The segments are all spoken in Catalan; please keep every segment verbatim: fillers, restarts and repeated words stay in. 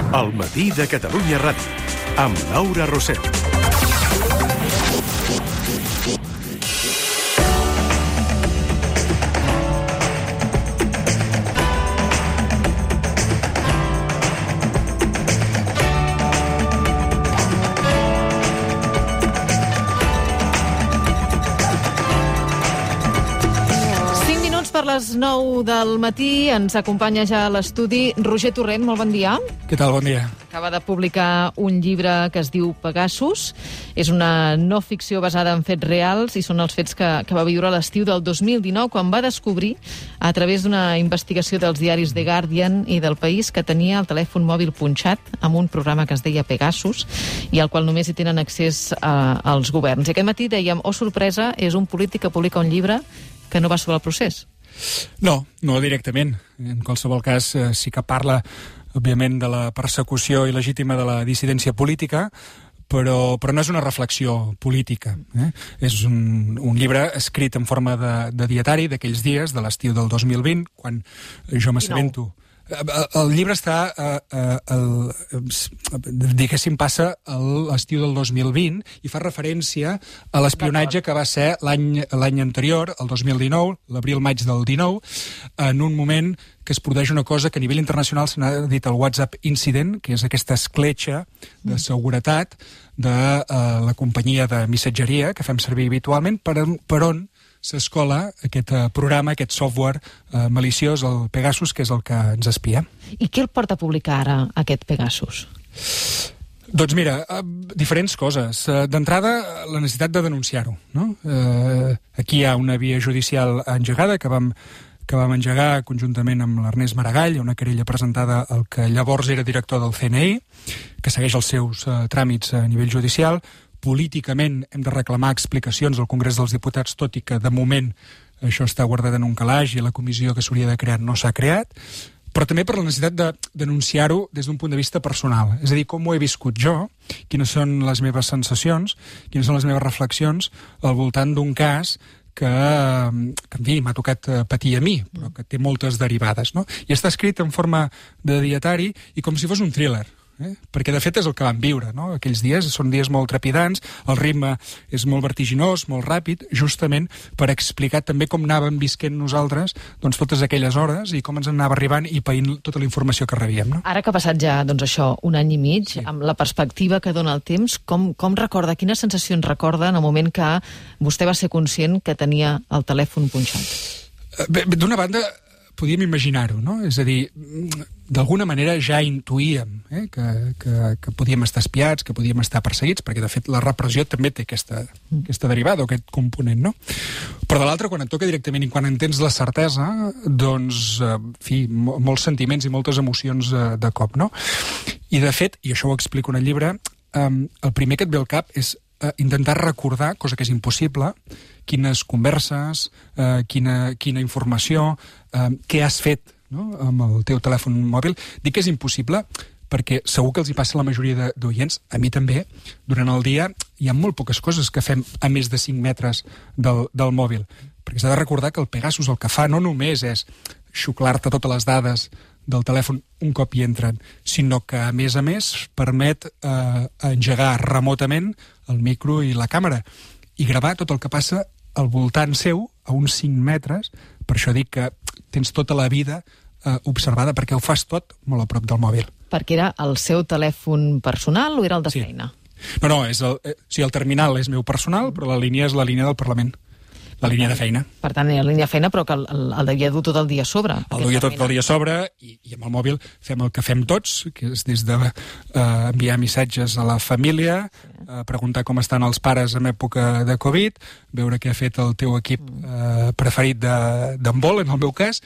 El matí de Catalunya Ràdio, amb Laura Rossell. Per les nou del matí ens acompanya ja a l'estudi Roger Torrent. Molt bon dia. Què tal? Bon dia. Acaba de publicar un llibre que es diu Pegasus. És una no ficció basada en fets reals i són els fets que, que va viure a l'estiu del dos mil dinou, quan va descobrir, a través d'una investigació dels diaris The Guardian i del País, que tenia el telèfon mòbil punxat amb un programa que es deia Pegasus i al qual només hi tenen accés a, als governs. I aquest matí dèiem, oh sorpresa, és un polític que publica un llibre que no va sobre el procés. No, no directament. En qualsevol cas, eh, sí que parla, òbviament, de la persecució il·legítima de la dissidència política, però, però no és una reflexió política. Eh? És un, un llibre escrit en forma de, de dietari d'aquells dies, de l'estiu del dos mil vint, quan jo m'assabento... El llibre està, eh, eh, el, diguéssim, passa a l'estiu del dos mil vint i fa referència a l'espionatge que va ser l'any l'any anterior, el dos mil dinou, l'abril-maig del dinou, en un moment que es produeix una cosa que a nivell internacional se n'ha dit el WhatsApp Incident, que és aquesta escletxa de seguretat de eh, la companyia de missatgeria que fem servir habitualment, per, per on s'escola aquest uh, programa, aquest software uh, maliciós, el Pegasus, que és el que ens espia. I què el porta a publicar ara, aquest Pegasus? Doncs mira, uh, diferents coses. Uh, D'entrada, la necessitat de denunciar-ho. No? Uh, aquí hi ha una via judicial engegada que vam, que vam engegar conjuntament amb l'Ernest Maragall, una querella presentada al que llavors era director del C N I, que segueix els seus uh, tràmits a nivell judicial. Políticament hem de reclamar explicacions al Congrés dels Diputats, tot i que de moment això està guardat en un calaix i la comissió que s'hauria de crear no s'ha creat, però també per la necessitat de denunciar-ho des d'un punt de vista personal. És a dir, com ho he viscut jo, quines són les meves sensacions, quines són les meves reflexions al voltant d'un cas que, que en fi, m'ha tocat patir a mi, però que té moltes derivades, no? I està escrit en forma de dietari i com si fos un thriller. Eh? Perquè de fet és el que vam viure, no? Aquells dies són dies molt trepidants, el ritme és molt vertiginós, molt ràpid, justament per explicar també com anàvem visquent nosaltres doncs, totes aquelles hores i com ens anava arribant i païnt tota la informació que rebíem. No? Ara que ha passat ja doncs, això un any i mig, sí, amb la perspectiva que dona el temps, com, com recorda, quines sensacions recorda en el moment que vostè va ser conscient que tenia el telèfon punxat? Bé, d'una banda, podíem imaginar-ho, no? És a dir, d'alguna manera ja intuïem eh, que, que, que podíem estar espiats, que podíem estar perseguits, perquè de fet la repressió també té aquesta, aquesta derivada, o aquest component, no? Però de l'altra, quan et toca directament i quan en tens la certesa, doncs, en fi, molts sentiments i moltes emocions de cop, no? I de fet, i això ho explico en el llibre, el primer que et ve al cap és eh, intentar recordar, cosa que és impossible, quines converses, eh, quina, quina informació, eh, què has fet, no?, amb el teu telèfon mòbil. Dic que és impossible perquè segur que els hi passa a la majoria d'oients, a mi també, durant el dia hi ha molt poques coses que fem a més de cinc metres del, del mòbil. Perquè s'ha de recordar que el Pegasus el que fa no només és xuclar-te totes les dades del telèfon un cop hi entren, sinó que, a més a més, permet eh, engegar remotament el micro i la càmera i gravar tot el que passa al voltant seu, a uns cinc metres. Per això dic que tens tota la vida eh, observada, perquè ho fas tot molt a prop del mòbil. Perquè era el seu telèfon personal o era el de sí. feina? No, no, és el, eh, o sigui, el terminal és meu personal, però la línia és la línia del Parlament. La línia de feina. Per tant, era la línia de feina, però que el, el, el devia dur tot el dia a sobre. El devia tot el dia a sobre, i, i amb el mòbil fem el que fem tots, que és des de eh, enviar missatges a la família, eh, preguntar com estan els pares en època de Covid, veure què ha fet el teu equip eh, preferit d'handbol, en el meu cas,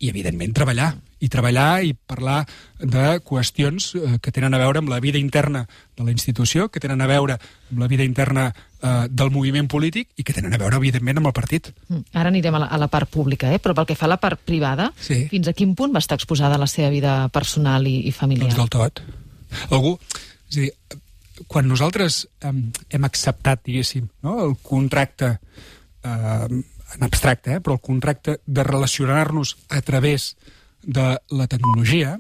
i, evidentment, treballar. I treballar i parlar de qüestions eh, que tenen a veure amb la vida interna de la institució, que tenen a veure amb la vida interna eh, del moviment polític i que tenen a veure, evidentment, amb el partit. Ara anirem a la, a la part pública, eh? Però pel que fa a la part privada, sí. Fins a quin punt va estar exposada la seva vida personal i, i familiar? Doncs del tot. Algú... És a dir, quan nosaltres eh, hem acceptat, diguéssim, no, el contracte... Eh, en abstracte, eh, però el contracte de relacionar-nos a través de la tecnologia,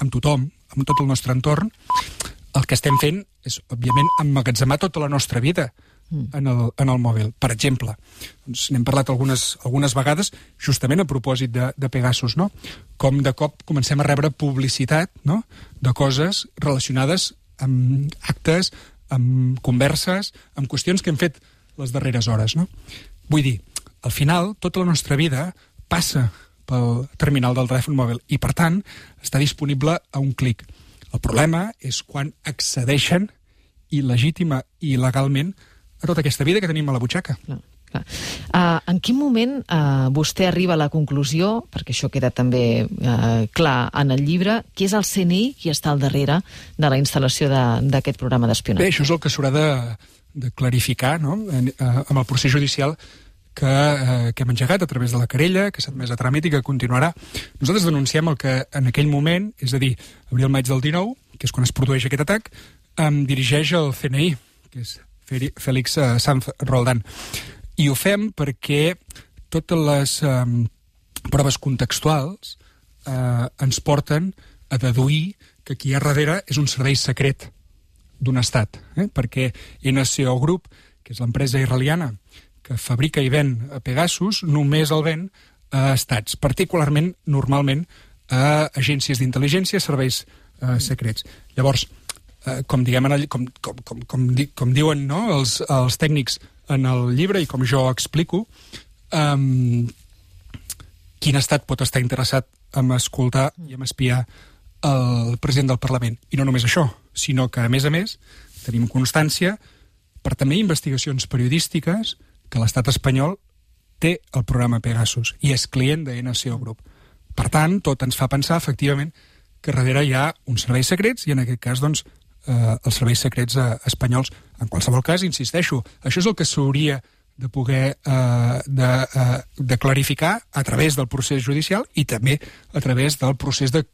amb tothom, amb amb tot el nostre entorn, el que estem fent és, òbviament, emmagatzemar tota la nostra vida en el, en el mòbil. Per exemple, doncs n'hem parlat algunes, algunes vegades, justament a propòsit de, de Pegasus, no? Com de cop comencem a rebre publicitat, no?, de coses relacionades amb actes, amb converses, amb qüestions que hem fet les darreres hores, no? Vull dir, al final, tota la nostra vida passa pel terminal del telèfon mòbil i, per tant, està disponible a un clic. El problema és quan accedeixen il·legítima i il·legalment a tota aquesta vida que tenim a la butxaca. Clar, clar. Uh, en quin moment uh, vostè arriba a la conclusió, perquè això queda també uh, clar en el llibre, qui és el C N I qui està al darrere de la instal·lació d'aquest programa d'espionatge? Bé, això és el que s'haurà de, de clarificar, no?, en, uh, amb el procés judicial que, uh, que hem engegat a través de la querella, que s'ha admès a tràmit i que continuarà. Nosaltres denunciem el que en aquell moment, és a dir, abril-maig del dinou, que és quan es produeix aquest atac, um, dirigeix el C N I, que és Félix Sanz Roldán. I ho fem perquè totes les eh, proves contextuals eh, ens porten a deduir que qui hi ha darrere és un servei secret d'un estat. Eh? Perquè N C O Group, que és l'empresa israeliana que fabrica i ven a Pegasus, només el ven a estats, particularment, normalment, a agències d'intel·ligència, serveis eh, secrets. Llavors, Uh, com, diguem, en el, com, com, com, com, di, com diuen, no?, els, els tècnics en el llibre i com jo explico, um, quin estat pot estar interessat en escoltar i en espiar el president del Parlament. I no només això, sinó que, a més a més, tenim constància per també investigacions periodístiques que l'estat espanyol té el programa Pegasus i és client de N C O Group. Per tant, tot ens fa pensar, efectivament, que darrere hi ha uns serveis secrets i, en aquest cas, doncs, eh, els serveis secrets eh, espanyols. En qualsevol cas, insisteixo, això és el que s'hauria de poder eh, de, eh, de clarificar a través del procés judicial i també a través del procés de,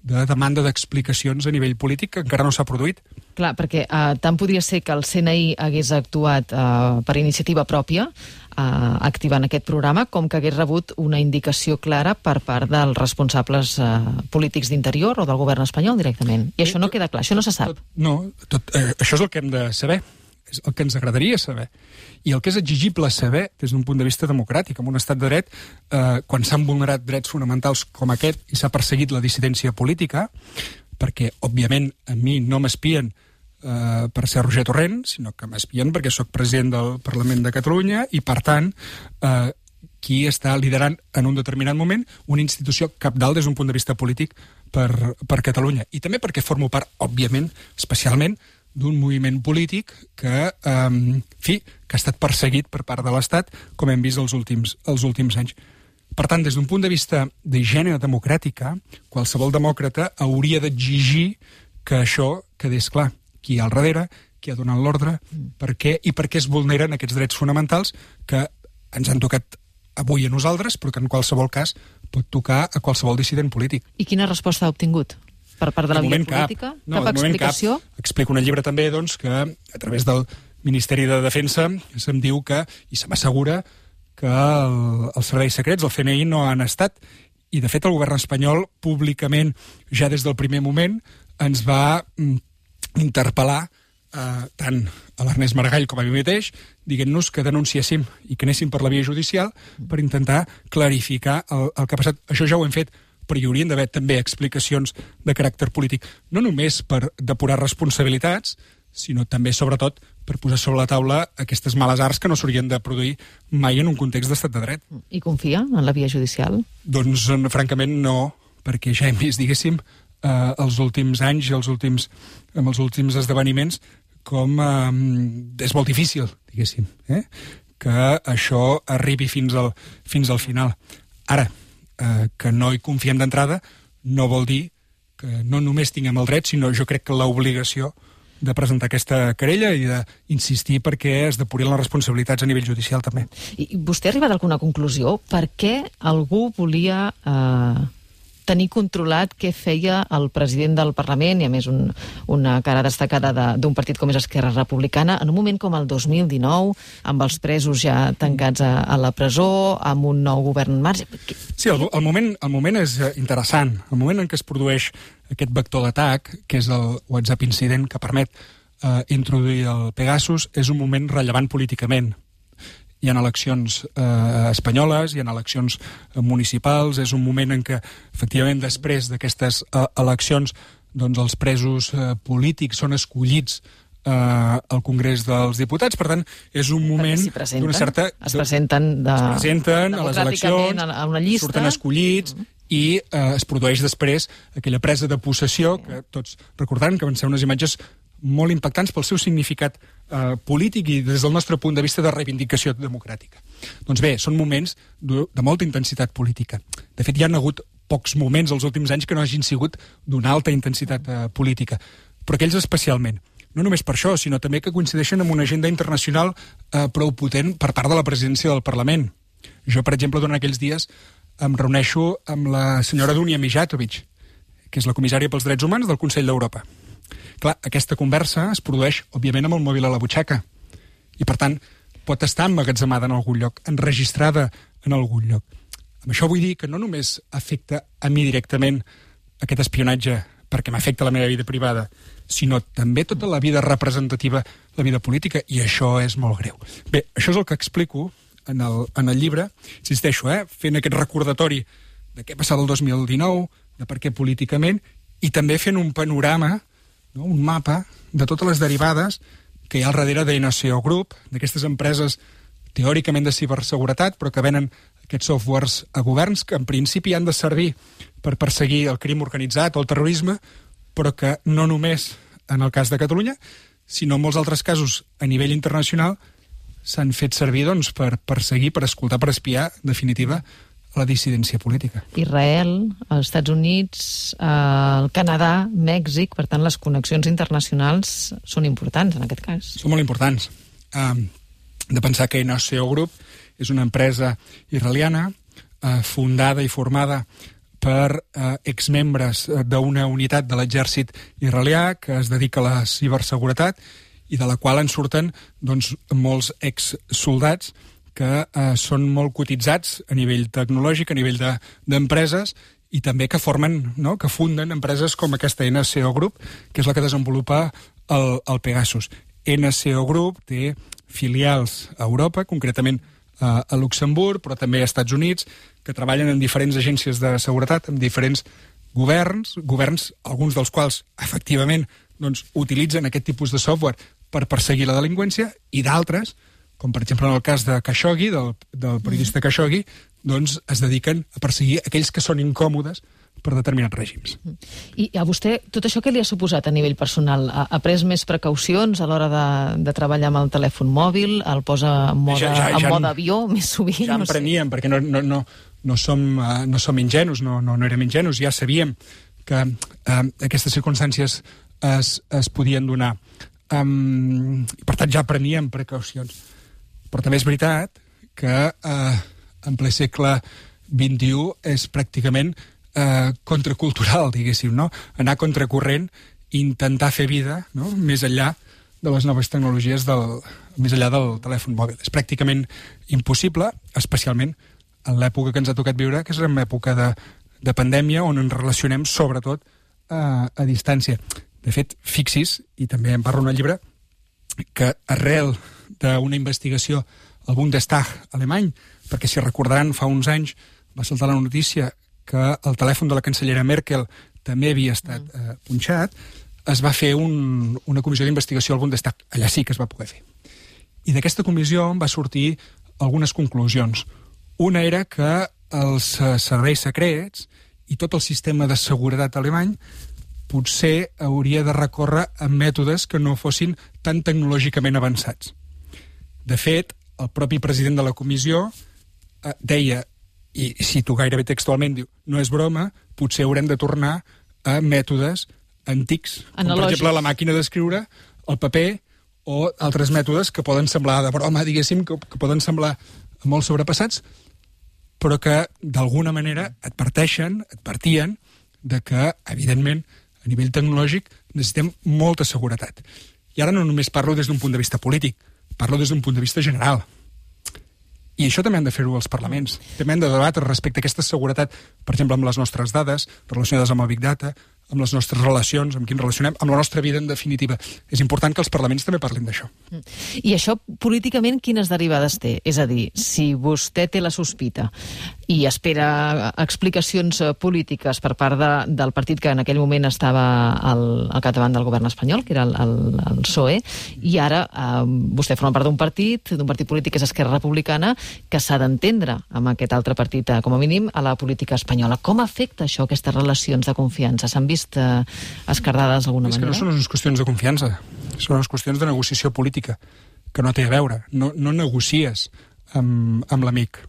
de demanda d'explicacions a nivell polític que encara no s'ha produït. Clar, perquè eh, tant podria ser que el C N I hagués actuat eh, per iniciativa pròpia, eh, activant aquest programa, com que hagués rebut una indicació clara per part dels responsables eh, polítics d'interior o del govern espanyol directament. I això no queda clar, això no se sap. Tot, no, tot, eh, això és el que hem de saber, és el que ens agradaria saber. I el que és exigible saber des d'un punt de vista democràtic, en un estat de dret, eh, quan s'han vulnerat drets fonamentals com aquest i s'ha perseguit la dissidència política, perquè, òbviament, a mi no m'espien eh, per ser Roger Torrent, sinó que m'espien perquè sóc president del Parlament de Catalunya i, per tant, eh, qui està liderant en un determinat moment una institució cabdal des d'un punt de vista polític per, per Catalunya. I també perquè formo part, òbviament, especialment, d'un moviment polític que, eh, en fi, que ha estat perseguit per part de l'Estat, com hem vist els últims, els últims anys. Per tant, des d'un punt de vista d'higiene democràtica, qualsevol demòcrata hauria d'exigir que això quedés clar. Qui hi ha al darrere, qui ha donat l'ordre, per què i per què es vulneren aquests drets fonamentals que ens han tocat avui a nosaltres, però que en qualsevol cas pot tocar a qualsevol dissident polític. I quina resposta ha obtingut? Per part de la via política? Cap, no, cap explicació? Cap. Explico en el llibre també doncs, que a través del Ministeri de Defensa se'm diu que, i se m'assegura, que el, els serveis secrets, el C N I, no han estat, i de fet el govern espanyol públicament, ja des del primer moment, ens va mm, interpel·lar eh, tant a l'Ernest Maragall com a mi mateix, dient-nos que denunciéssim i que anéssim per la via judicial per intentar clarificar el, el que ha passat. Això ja ho hem fet, però hi haurien d'haver també explicacions de caràcter polític, no només per depurar responsabilitats, sinó també, sobretot, per posar sobre la taula aquestes males arts que no s'haurien de produir mai en un context d'estat de dret. I confia en la via judicial? Doncs, francament, no, perquè ja hem vist, diguéssim, eh, els últims anys i els últims, amb els últims esdeveniments, com eh, és molt difícil, diguéssim, eh, que això arribi fins al, fins al final. Ara, Eh, que no hi confiem d'entrada no vol dir que no només tinguem el dret, sinó jo crec que l'obligació de presentar aquesta querella i d'insistir perquè es depurin les responsabilitats a nivell judicial també. I vostè ha arribat a alguna conclusió? Per què algú volia eh, tenir controlat què feia el president del Parlament, i a més un, una cara destacada d'un partit com és Esquerra Republicana, en un moment com el dos mil dinou, amb els presos ja tancats a, a la presó, amb un nou govern en marxa. Sí, el, el, moment, el moment és interessant. El moment en què es produeix aquest vector d'atac, que és el WhatsApp incident que permet eh, introduir el Pegasus, és un moment rellevant políticament. Hi ha eleccions eh, espanyoles, hi ha eleccions eh, municipals, és un moment en què, efectivament, després d'aquestes eh, eleccions, doncs els presos eh, polítics són escollits eh, al Congrés dels Diputats. Per tant, és un moment d'una certa... Es presenten, de... es presenten a les eleccions, a una llista, surten escollits, mm. i eh, es produeix després aquella presa de possessió, que tots recordaran que van ser unes imatges molt impactants pel seu significat eh, polític i des del nostre punt de vista de reivindicació democràtica. Doncs bé, són moments de, de molta intensitat política. De fet, hi ha hagut pocs moments els últims anys que no hagin sigut d'una alta intensitat eh, política, però aquells especialment. No només per això, sinó també que coincideixen amb una agenda internacional eh, prou potent per part de la presidència del Parlament. Jo, per exemple, durant aquells dies em reuneixo amb la senyora Dunja Mijatovic, que és la comissària pels drets humans del Consell d'Europa. Clar, aquesta conversa es produeix, òbviament, amb el mòbil a la butxaca. I, per tant, pot estar emmagatzemada en algun lloc, enregistrada en algun lloc. Amb això vull dir que no només afecta a mi directament aquest espionatge perquè m'afecta la meva vida privada, sinó també tota la vida representativa, la vida política, i això és molt greu. Bé, això és el que explico en el, en el llibre, insisteixo, eh, fent aquest recordatori de què passava el dos mil dinou, de per què políticament, i també fent un panorama, no, un mapa de totes les derivades que hi ha al darrere d'N C O Group, d'aquestes empreses teòricament de ciberseguretat, però que venen aquests softwares a governs que en principi han de servir per perseguir el crim organitzat o el terrorisme, però que no només en el cas de Catalunya, sinó en molts altres casos a nivell internacional s'han fet servir doncs, per perseguir, per escoltar, per espiar, en definitiva, la dissidència política. Israel, els Estats Units, eh, el Canadà, Mèxic, per tant, les connexions internacionals són importants en aquest cas. Són molt importants. Um, de pensar que N C O Group és una empresa israeliana eh, fundada i formada per eh, exmembres d'una unitat de l'exèrcit israelià que es dedica a la ciberseguretat i de la qual en surten doncs, molts exsoldats que eh, són molt cotitzats a nivell tecnològic, a nivell d'empreses, de, i també que formen, no?, que funden empreses com aquesta N C O Group, que és la que desenvolupa el, el Pegasus. N C O Group té filials a Europa, concretament eh, a Luxemburg, però també a Estats Units, que treballen en diferents agències de seguretat, amb diferents governs, governs, alguns dels quals, efectivament, doncs, utilitzen aquest tipus de software per perseguir la delinqüència, i d'altres, com per exemple en el cas de Khashoggi, del, del periodista Khashoggi, doncs es dediquen a perseguir aquells que són incòmodes per determinats règims. I a vostè, tot això què li ha suposat a nivell personal? Ha, ha pres més precaucions a l'hora de, de treballar amb el telèfon mòbil? El posa en mode, ja, ja, ja, en mode avió més sovint? Ja en preníem, no sé. Perquè no, no, no, no, som, uh, no som ingenus, no, no, no érem ingenus, ja sabíem que uh, aquestes circumstàncies es, es podien donar. Um, per tant, ja preníem precaucions. Però també és veritat que eh, en ple segle vint-i-u és pràcticament eh, contracultural, diguéssim, no? Anar contracorrent i intentar fer vida, no?, més enllà de les noves tecnologies, del, més enllà del telèfon mòbil. És pràcticament impossible, especialment en l'època que ens ha tocat viure, que és una època de, de pandèmia, on ens relacionem sobretot eh, a distància. De fet, fixis, i també en parlo en el llibre, que arrel d'una investigació al Bundestag alemany, perquè si recordaran fa uns anys va saltar la notícia que el telèfon de la cancellera Merkel també havia estat eh, punxat, es va fer un, una comissió d'investigació al Bundestag. Allà sí que es va poder fer. I d'aquesta comissió va sortir algunes conclusions. Una era que els serveis secrets i tot el sistema de seguretat alemany potser hauria de recórrer a mètodes que no fossin tan tecnològicament avançats. De fet, el propi president de la comissió eh, deia, i cito gairebé textualment, diu, no és broma, potser haurem de tornar a mètodes antics, com per exemple la màquina d'escriure, el paper, o altres mètodes que poden semblar de broma, diguéssim, que, que poden semblar molt sobrepassats, però que d'alguna manera adverteixen, advertien de que, evidentment, a nivell tecnològic necessitem molta seguretat. I ara no només parlo des d'un punt de vista polític, parlo des d'un punt de vista general. I això també han de fer-ho els parlaments. També han de debatre respecte a aquesta seguretat, per exemple, amb les nostres dades, relacionades amb el Big Data, amb les nostres relacions, amb qui ens relacionem, amb la nostra vida, en definitiva. És important que els parlaments també parlin d'això. I això, políticament, quines derivades té? És a dir, si vostè té la sospita i espera explicacions polítiques per part de, del partit que en aquell moment estava al, al capdavant del govern espanyol, que era el, el, el P S O E, i ara eh, vostè forma part d'un partit, d'un partit polític que és Esquerra Republicana, que s'ha d'entendre amb aquest altre partit, eh, com a mínim, a la política espanyola. Com afecta això, aquestes relacions de confiança? S'han vist eh, escardades d'alguna manera? És que no són unes qüestions de confiança, són unes qüestions de negociació política, que no té a veure. No, no negocies amb, amb l'amic,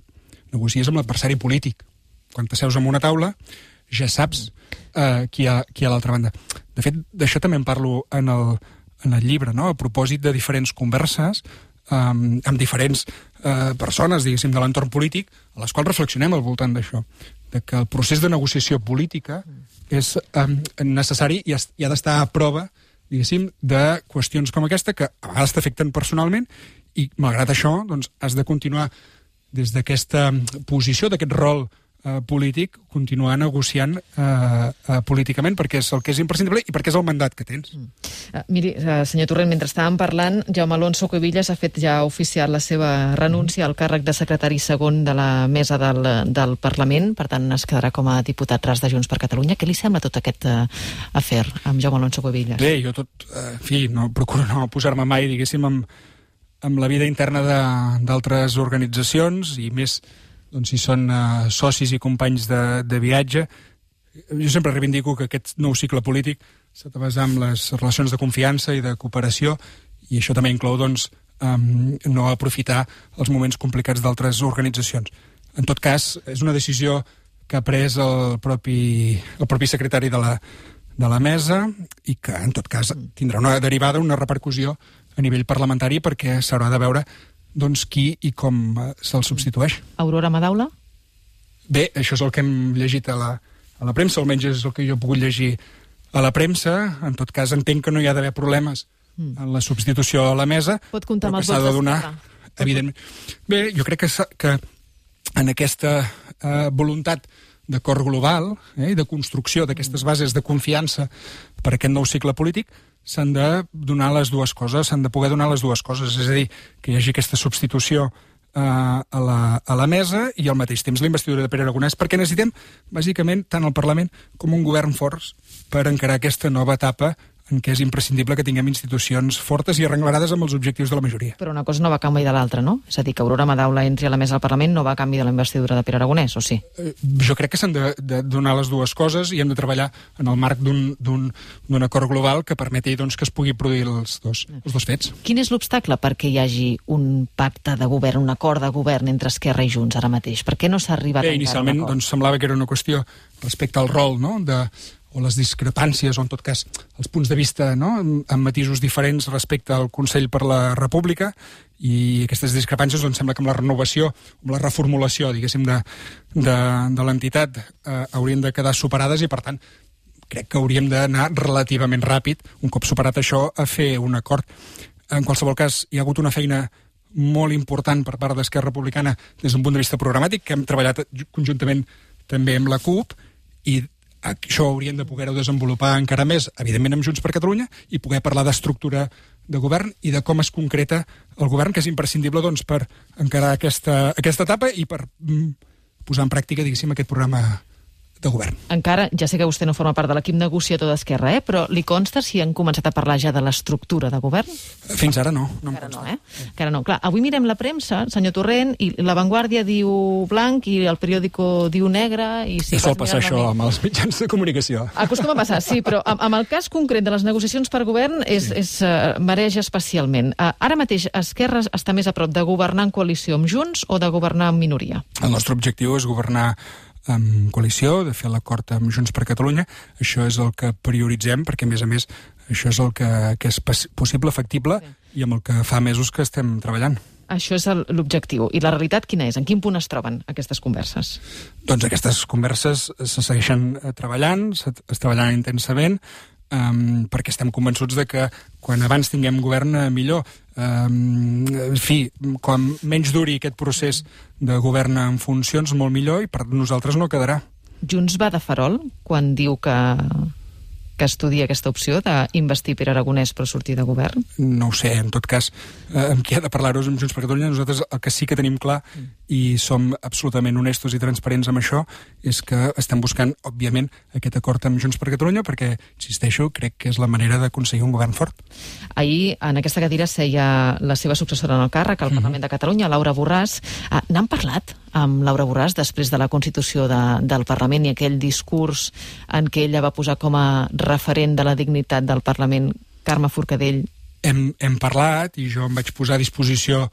negocies amb l'adversari polític. Quan t'asseus en una taula, ja saps eh, qui hi ha, qui hi ha a l'altra banda. De fet, d'això també en parlo en el, en el llibre, no? A propòsit de diferents converses um, amb diferents uh, persones, diguéssim, de l'entorn polític, a les quals reflexionem al voltant d'això, de que el procés de negociació política és um, necessari i, es, i ha d'estar a prova, diguéssim, de qüestions com aquesta que a vegades t'afecten personalment i, malgrat això, doncs, has de continuar des d'aquesta posició, d'aquest rol eh, polític, continuar negociant eh, eh, políticament, perquè és el que és imprescindible i perquè és el mandat que tens. Mm. Uh, miri, uh, senyor Torrent, mentre estàvem parlant, Jaume Alonso Cuevillas ha fet ja oficial la seva renúncia al càrrec de secretari segon de la mesa del, del Parlament, per tant es quedarà com a diputat ras de Junts per Catalunya. Què li sembla tot aquest uh, afer amb Jaume Alonso Cuevillas? Bé, jo tot, eh, en fi, no, procuro no posar-me mai, diguéssim, amb amb la vida interna d'altres organitzacions i més doncs, si són uh, socis i companys de, de viatge. Jo sempre reivindico que aquest nou cicle polític s'ha de basar en les relacions de confiança i de cooperació i això també inclou doncs, um, no aprofitar els moments complicats d'altres organitzacions. En tot cas, és una decisió que ha pres el propi, el propi secretari de la, de la mesa i que, en tot cas, tindrà una derivada, una repercussió a nivell parlamentari perquè s'haurà de veure doncs, qui i com se'l substitueix. Aurora Madaula? Bé, això és el que hem llegit a la, a la premsa, almenys és el que jo he pogut llegir a la premsa. En tot cas, entenc que no hi ha d'haver problemes mm. en la substitució a la mesa. Pot comptar amb els vots de donar, evidentment. Bé, jo crec que, que en aquesta eh, voluntat d'acord global eh, i de construcció d'aquestes bases de confiança per a aquest nou cicle polític s'han de donar les dues coses, s'han de poder donar les dues coses, és a dir, que hi hagi aquesta substitució eh, a, la, a la mesa i al mateix temps la investidura de Pere Aragonès, perquè necessitem, bàsicament, tant el Parlament com un govern forts per encarar aquesta nova etapa en què és imprescindible que tinguem institucions fortes i arrenglades amb els objectius de la majoria. Però una cosa no va a canvi de l'altra, no? És a dir, que Aurora Madaula entri a la mesa del Parlament no va a canvi de la investidura de Pere Aragonès, o sí? Eh, jo crec que s'han de, de donar les dues coses i hem de treballar en el marc d'un acord global que permeti doncs, que es pugui produir els dos, els dos fets. Quin és l'obstacle perquè hi hagi un pacte de govern, un acord de govern entre Esquerra i Junts ara mateix? Per què no s'ha arribat Bé, encara a un acord? Inicialment doncs, semblava que era una qüestió respecte al rol, no?, de o les discrepàncies, o en tot cas els punts de vista, no?, amb matisos diferents respecte al Consell per la República, i aquestes discrepàncies doncs, sembla que amb la renovació, amb la reformulació, diguéssim, de, de, de l'entitat eh, haurien de quedar superades i, per tant, crec que hauríem d'anar relativament ràpid, un cop superat això, a fer un acord. En qualsevol cas, hi ha hagut una feina molt important per part d'Esquerra Republicana des d'un punt de vista programàtic, que hem treballat conjuntament també amb la CUP, i això hauríem de poder-ho desenvolupar encara més, evidentment amb Junts per Catalunya, i poder parlar d'estructura de govern i de com es concreta el govern, que és imprescindible doncs, per encarar aquesta, aquesta etapa i per mm, posar en pràctica, diguéssim, aquest programa de govern. Encara, ja sé que vostè no forma part de l'equip negociador d'Esquerra, eh? Però li consta si han començat a parlar ja de l'estructura de govern? Fins ara no. no Encara no, eh? Encara no. Clar, avui mirem la premsa, senyor Torrent, i La Vanguardia diu blanc i el periòdico diu negre. I si ja sol passar això amb els mitjans de comunicació. Acostuma a passar, sí, però amb, amb el cas concret de les negociacions per govern és, sí. és, uh, mereix especialment. Uh, ara mateix Esquerra està més a prop de governar en coalició amb Junts o de governar en minoria? El nostre objectiu és governar amb coalició, de fer l'acord amb Junts per Catalunya. Això és el que prioritzem, perquè, a més a més, això és el que, que és possible, factible, sí. i amb el que fa mesos que estem treballant. Això és l'objectiu. I la realitat quina és? En quin punt es troben aquestes converses? Doncs aquestes converses se segueixen treballant, es treballant intensament, um, perquè estem convençuts de que quan abans tinguem govern, millor. Um, en fi, quan menys duri aquest procés de govern en funcions, molt millor, i per nosaltres no quedarà. Junts va de farol quan diu que... que estudia aquesta opció d'investir Pere Aragonès per sortir de govern? No ho sé, en tot cas, eh, amb qui ha de parlar-ho amb Junts per Catalunya, nosaltres el que sí que tenim clar, mm. i som absolutament honestos i transparents amb això, és que estem buscant, òbviament, aquest acord amb Junts per Catalunya, perquè, insisteixo, crec que és la manera d'aconseguir un govern fort. Ahir, en aquesta cadira, seia la seva successora en el càrrec, al mm-hmm. Parlament de Catalunya, Laura Borràs. Ah, n'han parlat amb Laura Borràs després de la constitució de, del Parlament i aquell discurs en què ella va posar com a referent de la dignitat del Parlament, Carme Forcadell? Hem, hem parlat i jo em vaig posar a disposició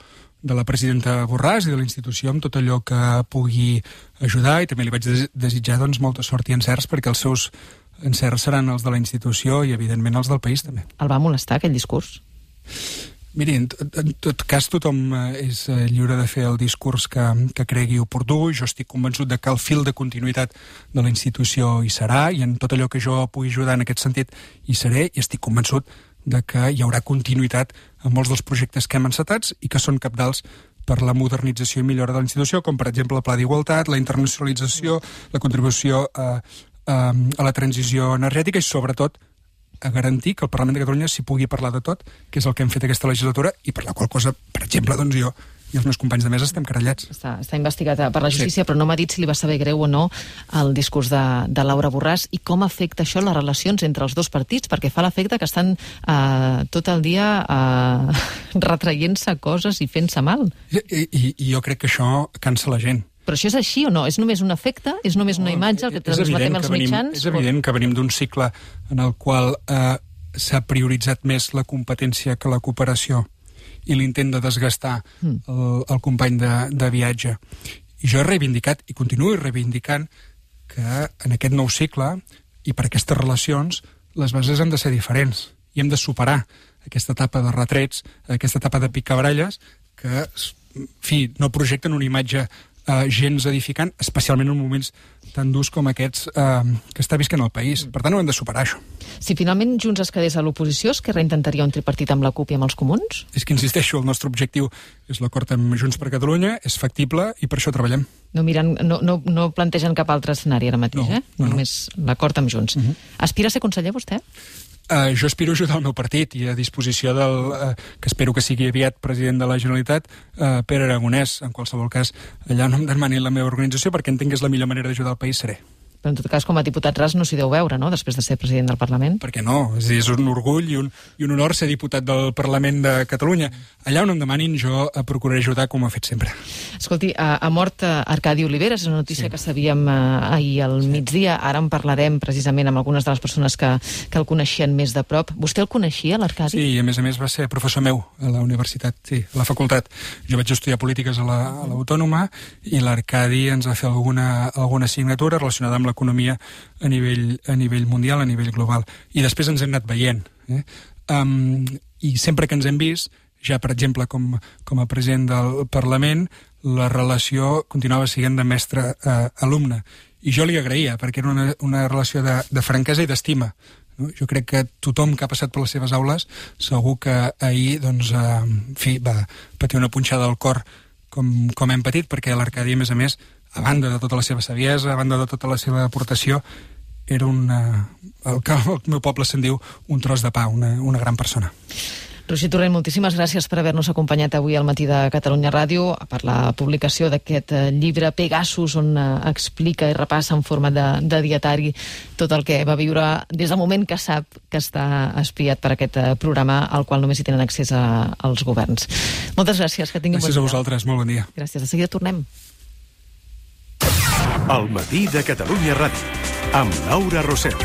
de la presidenta Borràs i de la institució amb tot allò que pugui ajudar, i també li vaig des desitjar doncs, molta sort i encerts, perquè els seus encerts seran els de la institució i evidentment els del país també. El va molestar aquell discurs? Miri, en, en tot cas tothom és lliure de fer el discurs que, que cregui oportú. Jo estic convençut de que el fil de continuïtat de la institució hi serà, i en tot allò que jo pugui ajudar en aquest sentit hi seré, i estic convençut de que hi haurà continuïtat en molts dels projectes que hem encetats i que són cabdals per la modernització i millora de la institució, com per exemple el Pla d'Igualtat, la internacionalització, la contribució a, a, a la transició energètica i sobretot a garantir que el Parlament de Catalunya s'hi pugui parlar de tot, que és el que hem fet aquesta legislatura, i per la qual cosa, per exemple, doncs jo i els meus companys de mesa estem querellats. Està, està investigat per la justícia, sí. Però no m'ha dit si li va saber greu o no el discurs de, de Laura Borràs i com afecta això les relacions entre els dos partits, perquè fa l'efecte que estan eh, tot el dia eh, retraient-se coses i fent-se mal. I, i, I jo crec que això cansa la gent. Però això és així o no? És només un efecte? És només una imatge el que transmetem als mitjans? És evident que venim d'un cicle en el qual eh, s'ha prioritzat més la competència que la cooperació i l'intent de desgastar mm. el, el company de, de viatge. I jo he reivindicat, i continuo reivindicant, que en aquest nou cicle i per aquestes relacions les bases han de ser diferents i hem de superar aquesta etapa de retrets, aquesta etapa de picabaralles que, en fi, no projecten una imatge Uh, gens edificant, especialment en moments tan durs com aquests uh, que està visquent el país. Per tant, ho hem de superar, això. Si finalment Junts es quedés a l'oposició, Esquerra intentaria un tripartit amb la CUP i amb els comuns? És que, insisteixo, el nostre objectiu és l'acord amb Junts per Catalunya, és factible i per això treballem. No, miren, no, no, no plantegen cap altre escenari ara mateix, no, eh? No, Només no. l'acord amb Junts. Uh-huh. Aspira a ser conseller, vostè? Uh, jo aspiro a ajudar el meu partit i a disposició del, uh, que espero que sigui aviat president de la Generalitat, uh, Pere Aragonès. En qualsevol cas, allà no em demanin la meva organització, perquè entenc que és la millor manera d'ajudar el país, seré. Però en tot cas, com a diputat ras no s'hi deu veure, no?, després de ser president del Parlament. Per què no? És, dir, és un orgull i un, i un honor ser diputat del Parlament de Catalunya. Allà on em demanin, jo procuraré ajudar com ho he fet sempre. Escolti, ha, ha mort Arcadi Oliveres, és una notícia sí. que sabíem uh, ahir al sí. migdia. Ara en parlarem precisament amb algunes de les persones que, que el coneixien més de prop. Vostè el coneixia, l'Arcadi? Sí, i a més a més va ser professor meu a la universitat, sí, a la facultat. Jo vaig estudiar polítiques a l'Autònoma la, i l'Arcadi ens va fer alguna, alguna assignatura relacionada amb l'economia a nivell, a nivell mundial, a nivell global. I després ens hem anat veient. Eh? Um, I sempre que ens hem vist, ja per exemple com, com a president del Parlament, la relació continuava sent de mestre-alumne. I jo li agraïa, perquè era una, una relació de, de franquesa i d'estima. No? Jo crec que tothom que ha passat per les seves aules segur que ahir doncs, eh, en fi, va patir una punxada al cor com, com hem patit, perquè l'Arcadi, a més a més, a banda de tota la seva saviesa, a banda de tota la seva aportació, era una, el que el meu poble se'n diu un tros de pa, una, una gran persona. Roger Torrent, moltíssimes gràcies per haver-nos acompanyat avui al Matí de Catalunya Ràdio per la publicació d'aquest llibre Pegasus, on explica i repassa en forma de, de dietari tot el que va viure des del moment que sap que està espiat per aquest programa al qual només hi tenen accés a, als governs. Moltes gràcies, que tinguin gràcies bon dia. Gràcies a vosaltres, molt bon dia. Gràcies, de seguida tornem. El Matí de Catalunya Ràdio, amb Laura Rosel.